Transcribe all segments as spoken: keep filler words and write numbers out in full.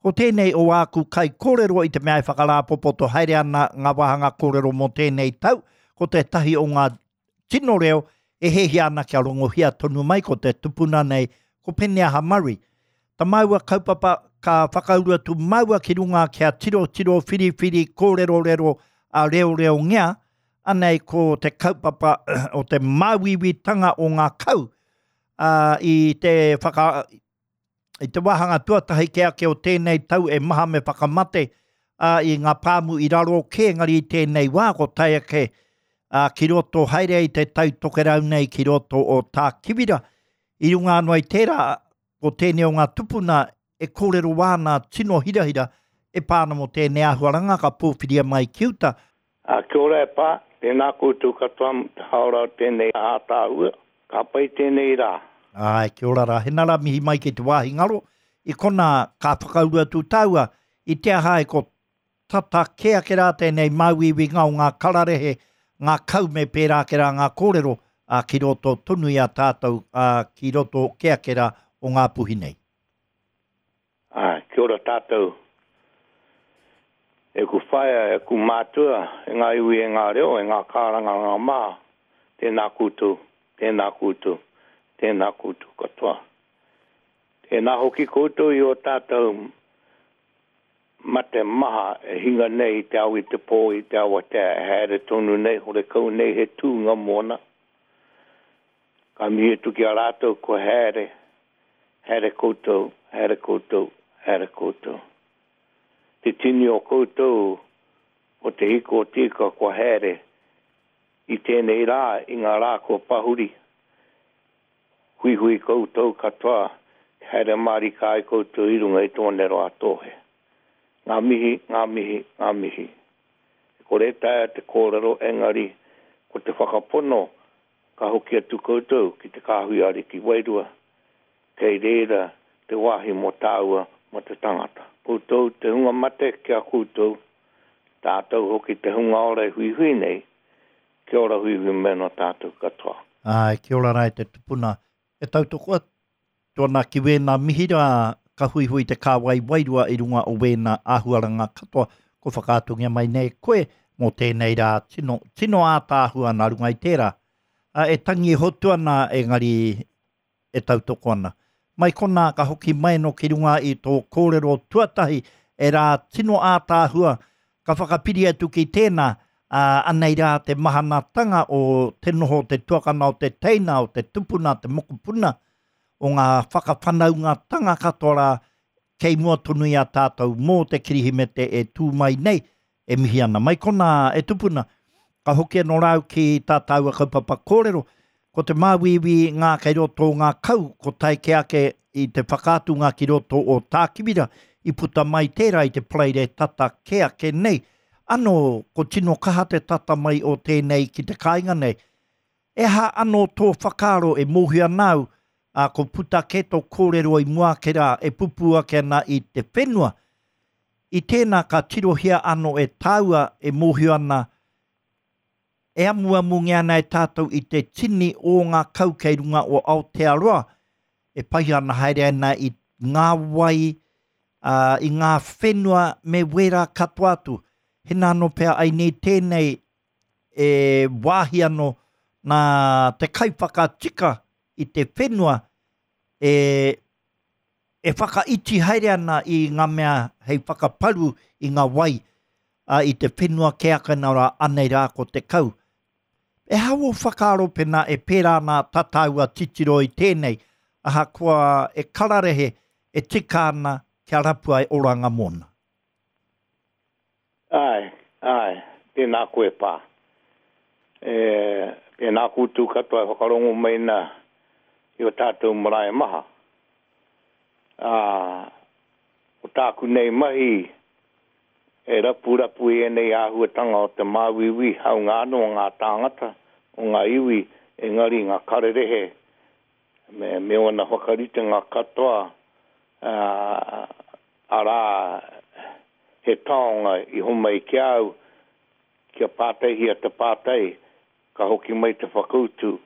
Ko tēnei o āku kai kōrero i te mea e whakarāpopoto haere ana ngā wāhanga kōrero mō tēnei tau, ko tētahi o ngā tino reo e hehia ana kia rongohia tonu mai ko te tupuna nei, ko Peneaha Murray. Ta māua kaupapa ka whakauru atu māua ki runga kia tiro tiro whiriwhiri kōrerorero a reo reo ngea, anei ko te kaupapa o te māuiuitanga o ngā kau uh, i te whaka, i te wāhanga tuatahi ke ake o tēnei tau e maha me whakamate uh, i ngā pāmu i raro kē ngari i tēnei wā ko tae ake uh, ki roto haere i te tai tokerau nei ki roto o Tākiwira. I runga anō i tērā ko tēnei o ngā tupuna e kōrero wāna tino hirahira e pāna mō tēnei āhuaranga ka pōwhiria mai ki uta. A, kia ora e pā, tēnā koutou katoa te haora o tēnei ātāhua, ka pai tēnei rā. Ai, kia ora rā. Hena rā mihi mai ki te wāhi ngaro. I kona ka whakauru atu tāua, i te aha e ko tata kē ake rā tēnei māuiuinga o ngā kararehe, ngā kau me pērā ake rā ngā kōrero a, ki roto tonu i a tātou, a, ki roto kē ake rā o ngā puhi nei. Ai, kia ora tātou. E ku whaea, e ku mātua, e ngā iwi e ngā reo, e ngā kārangaranga maha, tēnā koutou, tēnā koutou, tēnā koutou katoa. Tēnā hoki koutou i o tātou mate maha e hinga nei i te au i te pō, i te awatea, e haere tonu nei, horekau nei he tūnga mōna. Ka mihi atu ki a rātou ko haere, haere koutou, haere koutou, haere koutou. Te tini o koutou o te hiko o tika kua haere i tēnei rā, i ngā rā kua pahuri. Huihui koutou katoa, haere mārika ai koutou i runga i tōnero a tōhe. Ngā mihi, ngā mihi, ngā mihi. E kore taea te kōrero engari, ko te whakapono ka hoki atu koutou ki te kāhui ariki wairua, kei reira te wāhi mō tāua mō te tangata. Koutou te hunga mate kia koutou, tātou hoki te hunga ora e huihui nei, kia ora huihui meno tātou katoa. Ai, kia ora rā e te tupuna. E tautoko atu ana ki wēnā mihi rā, ka huihui te kāwai wairua i runga o wēnā āhuaranga katoa, ko whakaatungia mai nei koe mō tēnei rā, tino, tino ātaahua nā runga i tērā. A, e tangi e hotu ana engari e tautoko ana. Mai kona ka hoki mai no ki runga i tō kōrero tuatahi e rā tino ātaahua ka whakapiri atu ki tēnā, a, anei rā te mahanatanga o te noho te tuakana o te teina, o te tupuna, te mokopuna, o ngā whakawhanaungatanga katoa rā kei mua tonu i a tātou mō te Kirihimete e tū mai nei, e mihi ana. Mai kona e tupuna, ka hoki anō rāu ki tā tāua kaupapa kōrero, ko te māuiui ngā kei roto o ngā kau, ko tae ke ake i te whakaatunga ki roto o Tākiwira, i puta mai tērā i te paraire tata ke ake nei. Ano, ko tino kaha te tata mai o tēnei ki te kāinga nei. E ha anō tō whakaaro e mōhio ana au, a, ko puta ke tō kōrero i mua ake rā, e pupu ake ana i te whenua. I tēnā ka tirohia anō e tāua e mōhio ana, e amuamungia ana e tātou i te tini o ngā kau kei runga o Aotearoa, e pai ana haere ana i ngā wai, uh, i ngā whenua me wērā katoa atu. Hena anō pea ai nei tēnei e wāhi anō nā te kaiwhakatika i te whenua e, e whakaiti haere ana i ngā mea hei whakaparu i ngā wai a, i te whenua ke ake nā rā anei rā ko te kau. E hao whakaaro pena e pērā nā tā tāua titiro i tēnei, ahakoa e kararehe e tika ana kia rapua e oranga mōna. Ai, ai, tēnā koe pā. E, tēnā koutou katoa e whakarongo mai nā i o tātou marae maha. Ā, o tāku nei mahi e rapu rapu i ēnei āhuatanga o te māuiui, haunga anō ngā tāngata, o ngā iwi, engari ngā kararehe, me, me ōna whakaritenga katoa, ā, arā, he taonga i homai ki au, kia pātaihia te pātai, ka hoki mai te whakautu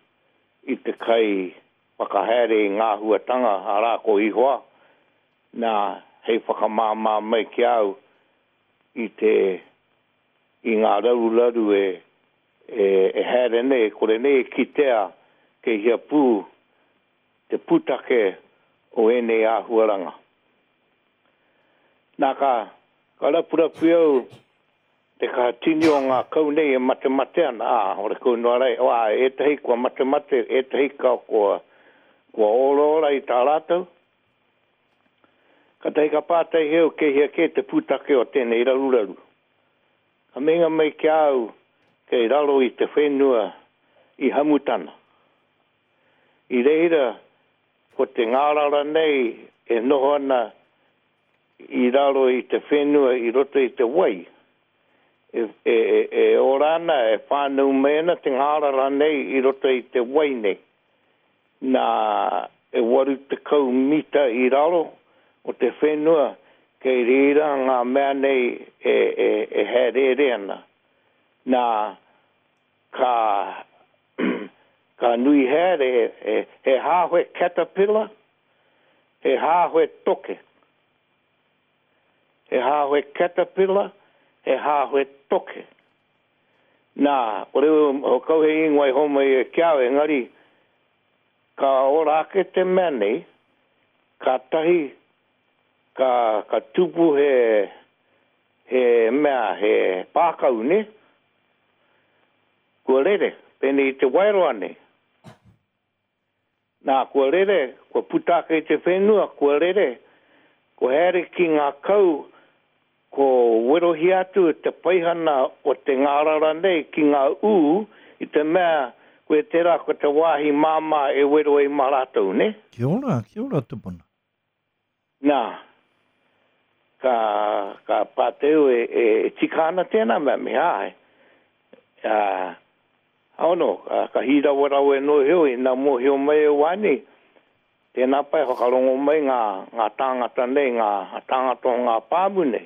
i te kai whakahaere i ngā huatanga, arā ko Ihoa, nā hei whakamāmā mai ki au i te i ngā raruraru e, e, e haere nei, kore nei e kitea kei hea pū te pūtake o ēnei āhuaranga. Nā ka, ka rapurapu au te kaha tini o ngā kau nei e matemate ana, ā, ore kau noa rai, o, ā, ētahi kua matemate, ētahi ka kua, kua oraora i tā rātou. Kātahi ka pātai heo kei hea kē te pūtake o tēnei raruraru. Ka meinga mai ki a au kei raro i te whenua i Hamutana. I reira, ko te ngārara nei e noho ana i raro i te whenua i roto i te wai. E, e, e, e ora ana, e whānau mai ana te ngārara nei i roto i te wai nei. Nā, e waru tekau mita i raro o te whenua, kei reira ngā mea nei e, e, e haereere ana. Nā, ka, ka nui haere, he, he hāhoe caterpillar, he hāhoe toke. He hāhoe caterpillar, he hāhoe toke. Nā, kore o kau he ingoa i homai e ki au, engari, ka ora ake te mea nei, ka tahi, ka, ka tupu he, he mea, he pākau, ne? Kua rere, pēnei i te waeroa nei. Nā, kua rere, kua puta ake i te whenua, kua rere, kua haere ki ngā kau, ko werohia atu te paihana o te ngārara nei ki ngā ū, i te mea, koe tērā ko te wāhi māmā e wero ai mā rātou, ne? Kia ora, kia ora tupuna. Nā, ka, ka pāteu e, e, e tika ana tēnā mea, me āe. Uh, Aono, ka, ka hīrawarawe no heo, i nā mōhio mai e wāni, tēnā pai whakarongo mai ngā, ngā tāngata nei, ngā tāngata o ngā pāmu nei.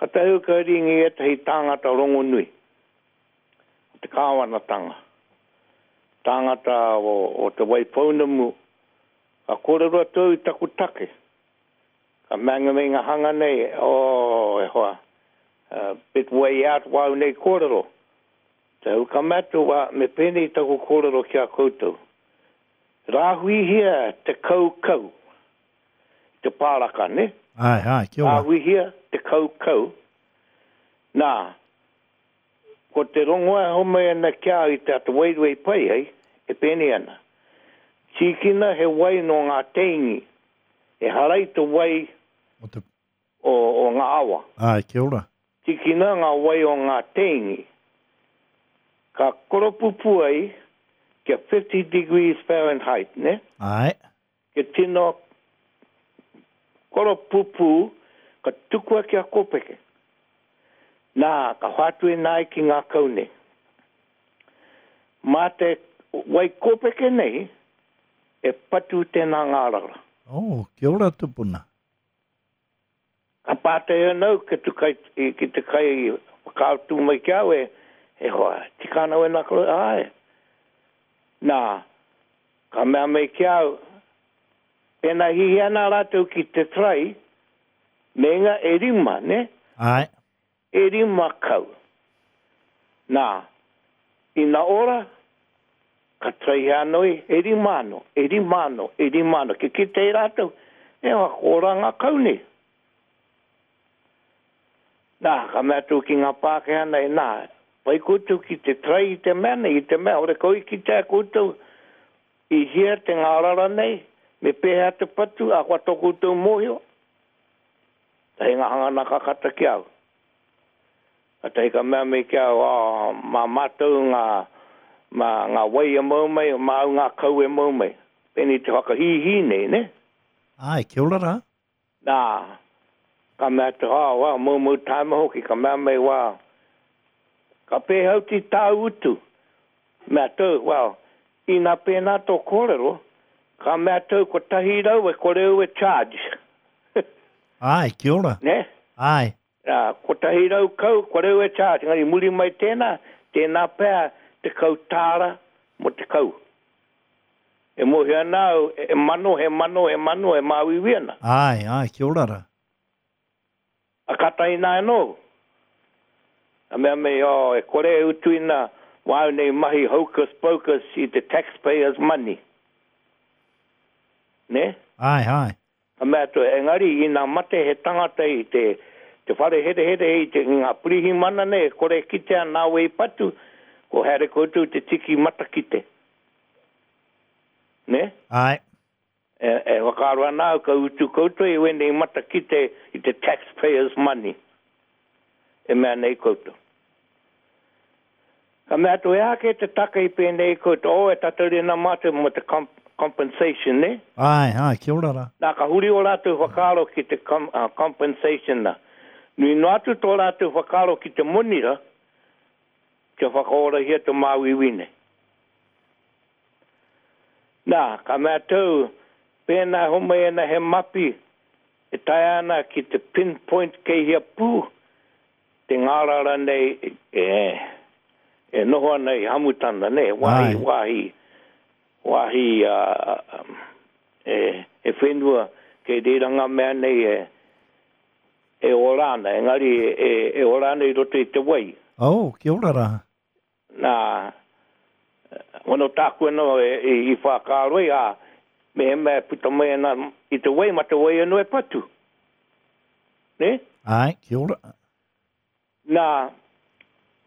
Ka tahu ka ringi ētahi tāngata rongonui, o te kāwanatanga, tāngata o, o te Waipounamu, ka kōrero atu i taku take. Ka manga me ngā hanga nei, oh, e hoa, uh, bit way out wau nei kōrero. Te hau ka matu wa, me pēnei taku kōrero ki a koutou. Rāhuihia te kau kau, te pāraka, ne? Ai, ai, kia ora. Rāhuihia te kau kau. Nā, ko te rongoa homai ana ki au i te ata wairua i pai ai, e pēnei ana. Tīkina he wai no ngā teingi, e harai te wai o, te... o, o ngā awa. Ai, kia ora. Tīkina ngā wai o ngā teingi. Ka koropupu ai kia fifty degrees Fahrenheit, ne? Ai. Kia tino koropupu, ka tukua kia kōpeke. Nā, ka whātu e nāi ki ngā kau nei. Mā te wai kōpeke nei, e patu tēnā ngārara. Oh, kia ora tupuna. Ka pātai anau ki te kai, ki te kai whakaatu mai ki au e, e hoa, tika ana wena koro, ai. Nā, ka mea mai ki au, pēnā hihi ana rātou ki te trai, me ngā e rima, ne? Ai. E rima kau. Nā, ina ora, ka trai hea anō e rima anō, e rima anō, e rima anō. Ki kite i rātou, e hoa, ko ora ngā kau nei. Nā, ka mea atu ki ngā Pākehā nei, nā, pai koutou ki te trai i te mea nei, i te mea, ore kau i kitea koutou i hea te ngārara nei, me pēhea te patu, a kua tō koutou mōhio. Tahi ngā hangana ka kata ki au. Ka tahi ka mea mai ki au, oh, mā mātou ngā, mā ngā wai e mau mai, mā au ngā kau e mau mai. Pēnei te whakahīhī nei, ne? Ai, kia ora rā. Nā, ka mea te, oh, wow, mau mau tāma hoki, ka mea mai, wow. Ka pēhauti tāu utu. Mea tau, well, ina pēnā tō kōrero, ka mea tau ko tahi rau e kore au e charge. Ai, kia ora. Ne? Ai. Nā, ko tahi rau kau, kore au e charge. Engari muri mai tēnā, tēnā pea te kau tāra mo te kau. E mōhio ana au, e mano, he mano, he mano, e māuiui ana. Ai, ai, kia ora rā. A kata ina anō. A mea mei, oh, e kore e utuina wāu nei mahi hocus pocus i te taxpayers money. Ne? Ai, ai. Ka mea atu, engari, ina mate he tangata i te, te whare herehere i te ngā pirihimana nei, e kore kitea nā wei patu, ko haere koutou te tiki matakite. Ne? Ai. E, e whakaaro ana au ka utu koutou i wēnei matakite i te taxpayers money. E mea nei koutou. Ka mea atu, e aha kē te take i pēnei koutou, oh, e tatari ana mātou mō te comp compensation, ne? Āe, āe, kia ora rā. Nā, ka huri ō rātou whakaaro ki te com, uh, compensation nā. Nui noa atu tō rātou whakaaro ki te moni rā, kia whakaorahia te māuiui nei. Nā, ka mea atu, pēnā e homai ana he mapi e taea ana ki te pinpoint kei hea pū te ngārara nei e, e noho ana i Hamutana, nē, wāhi, wāhi, wāhi e, e whenua kei reira ngā mea nei e, e ora ana, engari e, e ora ana i roto i te wai. Oh, kia ora rā. Nā, ono tāku anō e, e, i whakaaro ai, ā, mehemea e puta mai ana i te wai, ma te wai anō e patu. Nē? Āe, kia ora. Nā,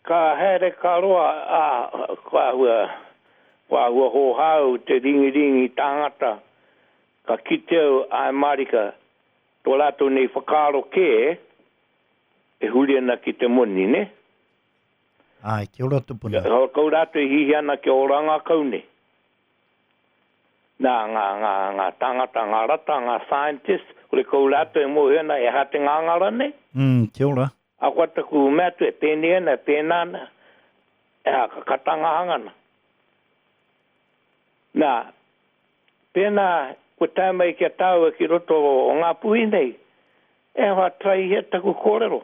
ka haere ka roa, ā, kua āhua, kua āhua hōhā au te ringiringi tāngata, ka kite au, āe mārika, tō rātou nei whakaaro kē, e huri ana ki te moni, nē? Āe, kia ora tupuna. Kia kau rātou e hihi ana kia ora ngā kau nei. Nā, ngā, ngā, ngā tāngata, ngā rata, ngā scientists, kore kau rātou e mōhio ana e aha te ngāngara nei. Mm, kia ora. Ahakoa taku mea atu e pēnei ana, e pēnā ana, e aha, ka kata ngā hangana. Nā, pēnā kua tae mai ki a tāua ki roto o Ngāpuhi nei, e aha, taraihia taku kōrero.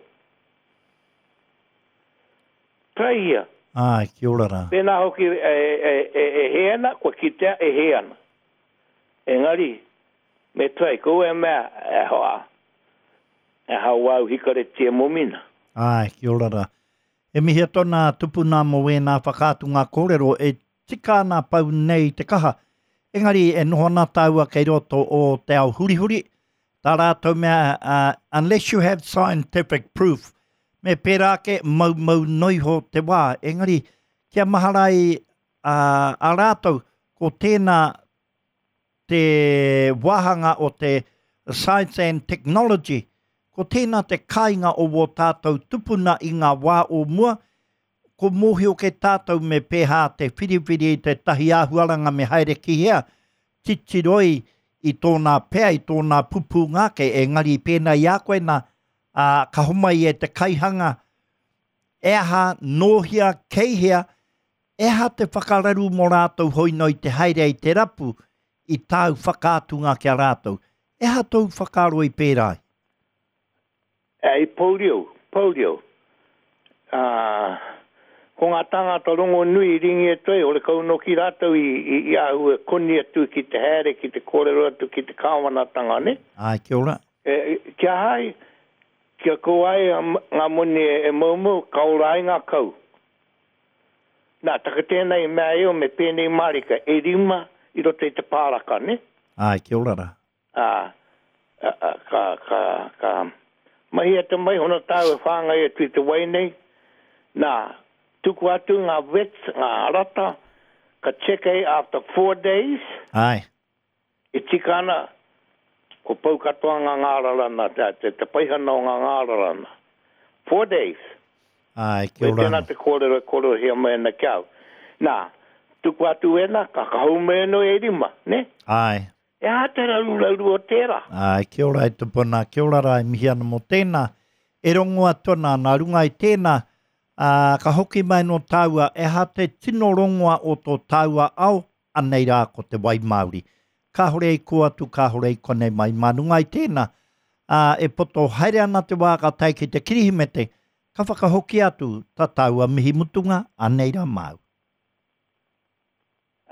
Taraihia. Āe, kia ora rā. Pēnā hoki e, e, e, e hē ana, kua kitea e hē ana. Engari, me tarai, kaua e mea, e hoa, e hau au hikareti e momina. Āe, kia ora rā. E mihi atu ana a Tupuna mō wēnā whakaatunga kōrero e tika ana pau nei te kaha. Engari e noho ana tāua kei roto o te ao hurihuri, tā rātou mea, uh, unless you have scientific proof, me pērā ake maumau noiho te wā. Engari, kia mahara ai uh, a rātou, ko tēnā te wāhanga o te Science and Technology, ko tēnā te kāinga o wō tātou tupuna i ngā wā o mua, ko mōhio kē tātou me pēhā te whiriwhiri i tētahi āhuaranga me haere ki hea, titiroi i tōnā pea, i tōnā pupūnga ake, engari pēnā i a koe nā, ā, ka homai e te kaihanga, e aha, nō hea, kei hea, e aha te whakararu mō rātou hoi noi te haere i te rapu i tāu whakaatunga ki a rātou. E aha tōu whakaaro i pērā ai? I Pourio, Pourio, ā, ko ngā tāngata rongonui i ringi atu ai, horekau noki rātou i, i, i āhua koni atu ki te haere, ki te kōrero atu ki te kāwanatanga, nē? Āe, kia ora. E, kia aha ai, kia kau ai ngā moni e moumou, ka ora ai ngā kau. Nā, taka tēnā i mea eo me pēnei mārika, e rima i roto i te pāraka, nē? Āe, kia ora rā. Ā, a, a, ka, ka, ka mahia te mai hono tāu e whāngai atu i te wai nei. Nā, tuku atu ngā vets, ngā rata, ka check ai after four days. Āe. E tika ana, kua pau katoa ngā ngārara nā, te, te, te paihana o ngā ngārara nā. Four days. Āe, kia Me ora tēnā anō. te kōrero e kōrerohia mai ana ki au. Nā, tuku atu ēnā, ka ka hou mai anō e rima, nē? Āe. E aha te raruraru o tērā? Āe, kia ora e tupuna, kia ora rā e mihi ana mō tēnā. E rongo atu ana, nā runga i tēnā, ā, ka hoki mai nō tāua, e aha te tino rongoa o tō tāua ao, anei rā ko te wai Māori. Kāhore i kō atu, kāhore i konei mai. Mā runga i tēnā, ā, e poto haere ana te wā ka tae ki te Kirihimete, ka whakahokia atu tā tāua mihi mutunga, anei rā māu.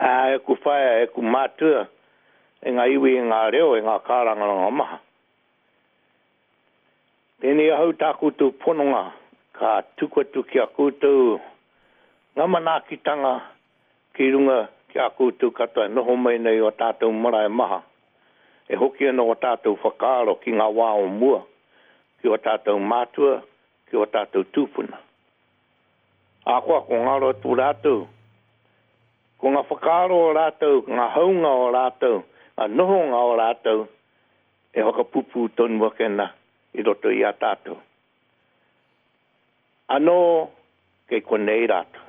Ā, e ku whaea, e ku mātua, e ngā iwi, e ngā reo, e ngā kārangaranga maha. Tēnei ahau tā koutou pononga, ka tuku atu ki a koutou ngā manaakitanga ki runga ki a koutou katoa e noho mai nei o tātou marae maha. E hoki ana o tātou whakaaro ki ngā wā o mua, ki o tātou mātua, ki o tātou tūpuna. Ahakoa ko ngaro atu rātou, ko ngā whakaaro o rātou, ngā haunga o rātou, ngā nohonga o rātou, e whakapupū tonu ake ana i roto i a tātou. Anō, kei konei rātou.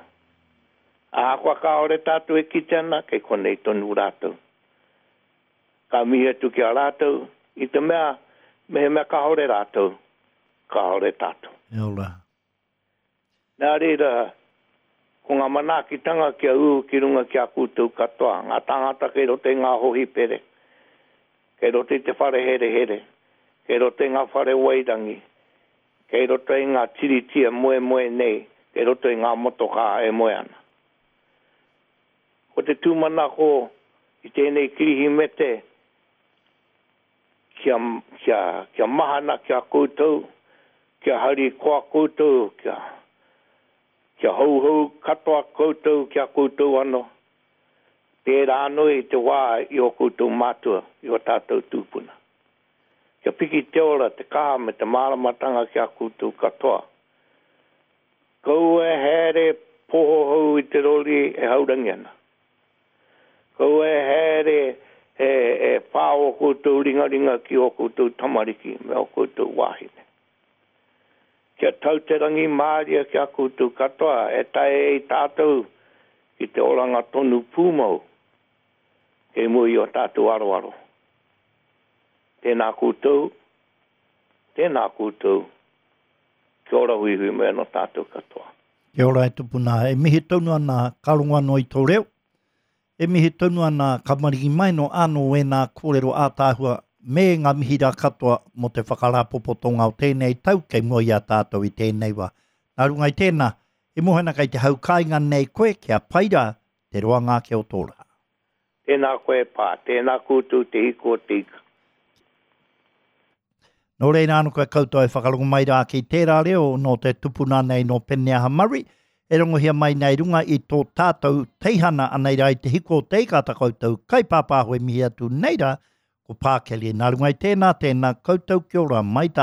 Ahakoa kāore tātou e kite ana, kei konei tonu rātou. Ka mihi atu ki a rātou, i te mea, mehemea kāore rātou, kāore tātou. E ora. Nā reira, ko ngā manaakitanga kia ū ki runga ki a koutou katoa, ngā tāngata kei roto i ngā hohipere, kei roto i te whare herehere, kei roto i ngā whare wairangi, kei roto i ngā tiriti e moemoe nei, kei roto i ngā motokā e moe ana. Ko te tūmanako i tēnei Kirihimete kia, kia, kia mahana ki a koutou, kia harikoa koutou, kia, kia houhou katoa koutou ki a koutou anō. Tērā anō i te wā i ō koutou mātua, i ō tātou tūpuna. Kia piki te ora, te kaha me te māramatanga ki a koutou katoa. Kaua e haere pohohou i te rori e haurangi ana. Kaua e haere e, e pā ō koutou ringaringa ki ō koutou tamariki me ō koutou wāhine. Kia tau te rangimārie ki a koutou katoa e tae ai tātou ki te oranga tonu pūmau kei mua i ō tātou aroaro. Tēnā koutou, tēnā koutou, kia ora huihui mai anō tātou katoa. Kia ora e tupuna, e mihi tonu ana ka rongo anō i tō reo, e mihi tonu ana ka maringi mai no anō wēnā kōrero ātaahua me ngā mihi rā katoa mō te whakarāpopotonga o tēnei tau kei mua i a tātou i tēnei wā. Nā runga i tēnā, e moe ana kei te hau kāinga nei koe kia pai rā te roanga ake o tō rā. Tēnā koe e pā, tēnā koutou te hiko o te ika. Nō reira anō koe koutou e whakarongo mai rā ki tērā reo nō te tupuna nei nō Peneaha Murray, e rongohia mai nei runga i tō tātou teihana anei rā i te hiko o te ika tā koutou kaipāpāho e mihi atu nei rā ko Pākeli. Nā runga i tēnā, tēnā koutou kia ora mai tā.